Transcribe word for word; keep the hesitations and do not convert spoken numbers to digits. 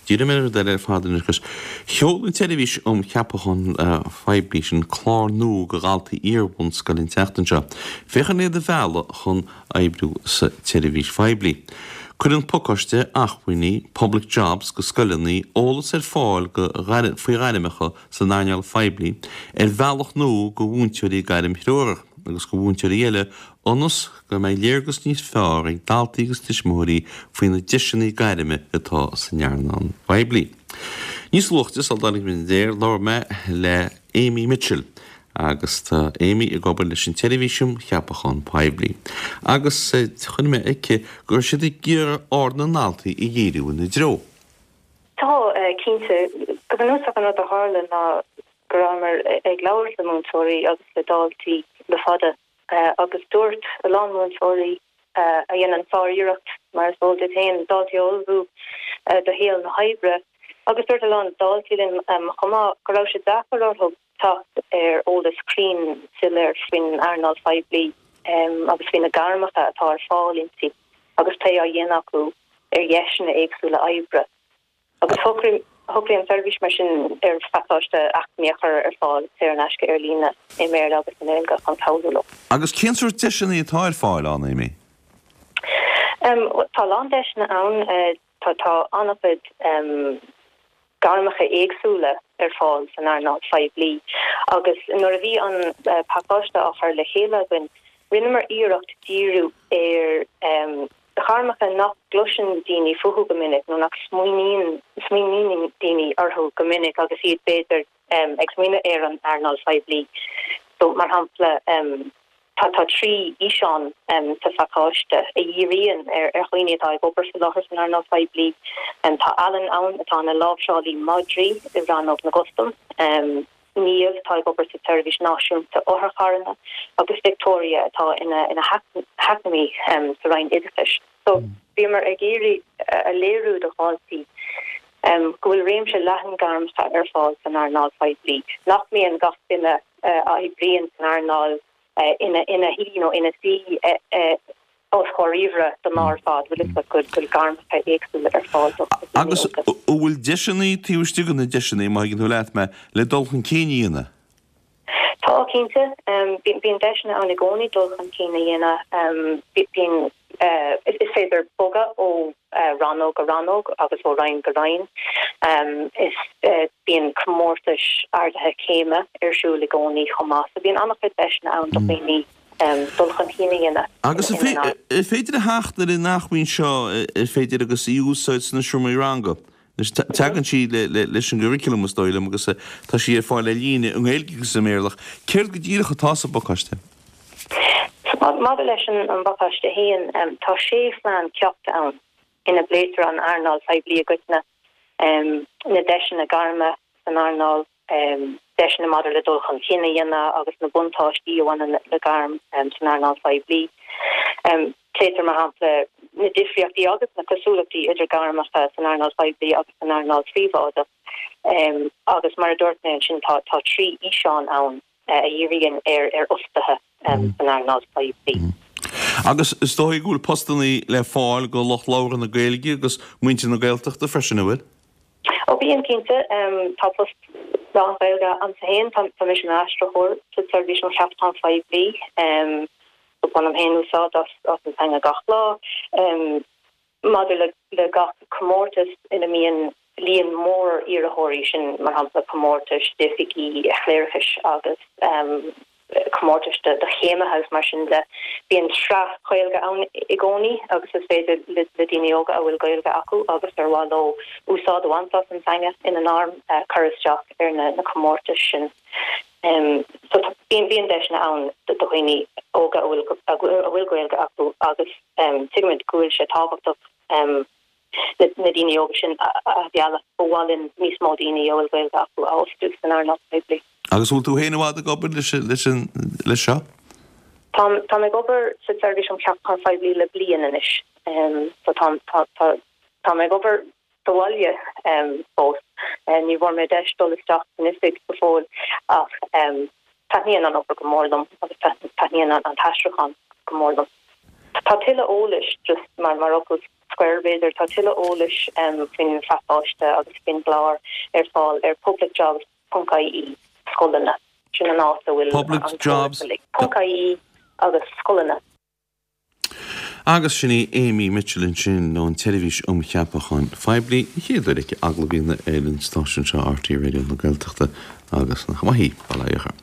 Díreoidh mé ar rud eile ar fad anois agus sheol an tSeirbhís um Cheapacháin Phoiblí sin clár nua do dhaltaí iar-bhunscoile an tseachtain seo, féachaint le iad a mhealladh chun oibriú sa tseirbhís phoiblí. Cuireann pacáiste acmhainní Public Jobs go scoileanna eolas ar fáil go faoi ghairmeacha san earnáil phoiblí ar bhealach nua do mhúinteoirí gairmthreorach agus do mhúinteoirí eile ionas go mbeidh léargas níos fearr ag daltaí agus tuismitheoirí faoi na deiseanna gairme atá san earnáil phoiblí. Níos luaithe sula dtáinig muid ar aer, labhair mé le Amy Mitchell agus tá Amy ag obair leis an tSeirbhís um Cheapachán Poiblí agus chonaic mé aici go raibh siad ag iarraidh aird na ndaltaí a dhíriú ina dtreo. Tá, cinnte. Go bunúsach an rud a tharla ná go rabhamar ag labhairt le múinteoirí agus le daltaí le fada agus dúirt a lán múinteoirí a dhéanann sár-iarracht, mar is eol duit féin, daltaí a ullmhú do shaol na hoibre agus dúirt a lán daltaí linn chomh maith go raibh sé deacair orthu teacht ar eolas cruinn soiléir faoin earnáil phoiblí agus faoi na gairmeacha atá ar fáil inti agus plé á dhéanamh acu ar dheiseanna éagsúla oibre. Agus shocraigh an tseirbhís mar sin ar phacáiste acmhainní a chur ar fáil saor in aisce ar líne i mBéarla agus i nGaeilge chun cabhrú leo. Agus cén sórt deiseanna atá ar fáil ann, Amy? Tá a lán deiseanna ann. Tá tá an-chuid gairmeacha éagsúla ar fáil san earnáil phoiblí agus nuair a bhí an pacáiste á chur le chéile againn, rinneamar iarracht díriú ar ghairmeacha nach gcloiseann daoine fúthu go minic nó nach smaoiníonn smaoiníonn daoine orthu go minic agus iad b'fhéidir ag smaoineamh ar an earnáil phoiblí. So, mar shampla, Tá tá trí fhíseán sa phacáiste a dhíríonn ar dhaoine atá ag obair faoi láthair san earnáil phoiblí. Tá Alan ann atá ina láimhseálaí madraí i Rannóg na gCustam, Niamh atá ag obair sa tSeirbhís Náisiúnta Otharcharranna agus Victoria atá ina ina heacnamaí sa Roinn Oideachais. So bhíomar ag iarraidh a léiriú do dhaltaí go bhfuil réimse leathan gairmeacha ar fáil san earnáil phoiblí, nach mbíonn gach duine a oibríonn san earnáil ina ina shuí nó ina suí os comhair ríomhaire don lá ar fad, bhfuil fhios agat go bhfuil gairmeacha éagsúla ar fáil do dhaoine Agus óga. an bhfuil deiseanna taobh istigh de na deiseanna, má thuigeann tú leat mé, le dul chun cinn a dhéanamh? Tá, cinnte. Bíonn deiseanna ann i gcónaí dul chun cinn a dhéanamh. Bíonn, is féidir bogadh ó rannóg go rannóg agus ó roinn go roinn. Is bíonn comórtais ardaithe céime ar siúl i gcónaí chomh maith. So bíonn an-chuid deiseanna ann do dhaoine dul chun cinn a dhéanamh. Agus an féidir a theacht ar an acmhainn seo, ar féidir agus í a úsáid sna seomraí ranga? Anois, tagann sí leis an gcurriculum, is dóigh liom, agus tá sí ar fáil ar líne i nGaeilge agus i mBéarla. Céard go díreach atá sa bpacáiste? Maidir leis an bpacáiste féin, tá sé phlean ceachta ann ina bpléitear an earnáil phoiblí i gcoitinne, na deiseanna gairme san earnáil, deiseanna maidir le dul chun cinn a dhéanamh agus na buntáistí a bhaineann le gairm san earnáil phoiblí. Pléitear, mar shampla, na difríochtaí agus na cosúlachtaí idir gairmeacha san earnáil phoiblí agus san earnáil phríobháideach agus mar a dúirt mé ansin tá tá trí fhíseán ann a dhíríonn ar ar fhostaithe san earnáil phoiblí. Agus is dóigh go bhfuil postanna le fáil do lucht labhartha na Gaeilge agus muintir na Gaeltachta freisin, an bhfuil? Ó bíonn, cinnte. Tá post lán-Ghaeilge a'msa féin. Tá mise i m'aistritheoir sa tSeirbhís um Cheapacháin Phoiblí. So bainim féin úsáid as an teanga gach lá. Maidir le gach comórtas ina mbíonn líon mór iarrthóirí, sin mar shampla comórtais d'oifigí chléireachais agus comórtais do chéimithe agus mar sin de. Bíonn sraith Ghaeilge ann i gcónaí agus is féidir le daoine óga a bhfuil Gaeilge acu agus ar mhaith leo úsáid a bhaint as an teanga ina ngairm cur isteach ar na comórtais sin. So bíonn bíonn deiseanna ann do dhaoine óga a bhfuil a bhfuil Gaeilge acu agus tuigimid go bhfuil sé tábhachtach na daoine óga sin a mhealladh. Ba mhaith linn níos mó daoine a bhfuil Gaeilge acu a fhostú san earnáil phoiblí. Agus bhfuil tú féin i bhfad ag obair leis leis an leis seo? Táim táim ag obair sa tSeirbhís um Cheapacháin Phoiblí le bliain anois. So táim tá tá táim ag obair sa bhaile fós. Ní bhfuair mé deis dul isteach san oifig go fóill ach taitníonn an obair go mór liom agus taitníonn an t-aistriúchán go mór liom. Tá tuilleadh eolais just mar mar fhocal scoir b'fhéidir tá tuilleadh eolais faoin phacáiste agus faoin gclár ar fáil ar publicjobs ponc ie scoileanna. Sin an áit a bhfuil publicjobs ponc ie agus scoileanna. Agus sin í Amy Mitchell ansin ón tSeirbhís um Cheapacháin Phoiblí, an chéad uair aici agallamh a dhéanamh ar an stáisiún seo RTÉ Raidió na Gaeltachta agus nach maith í, bail ó Dhia uirthi.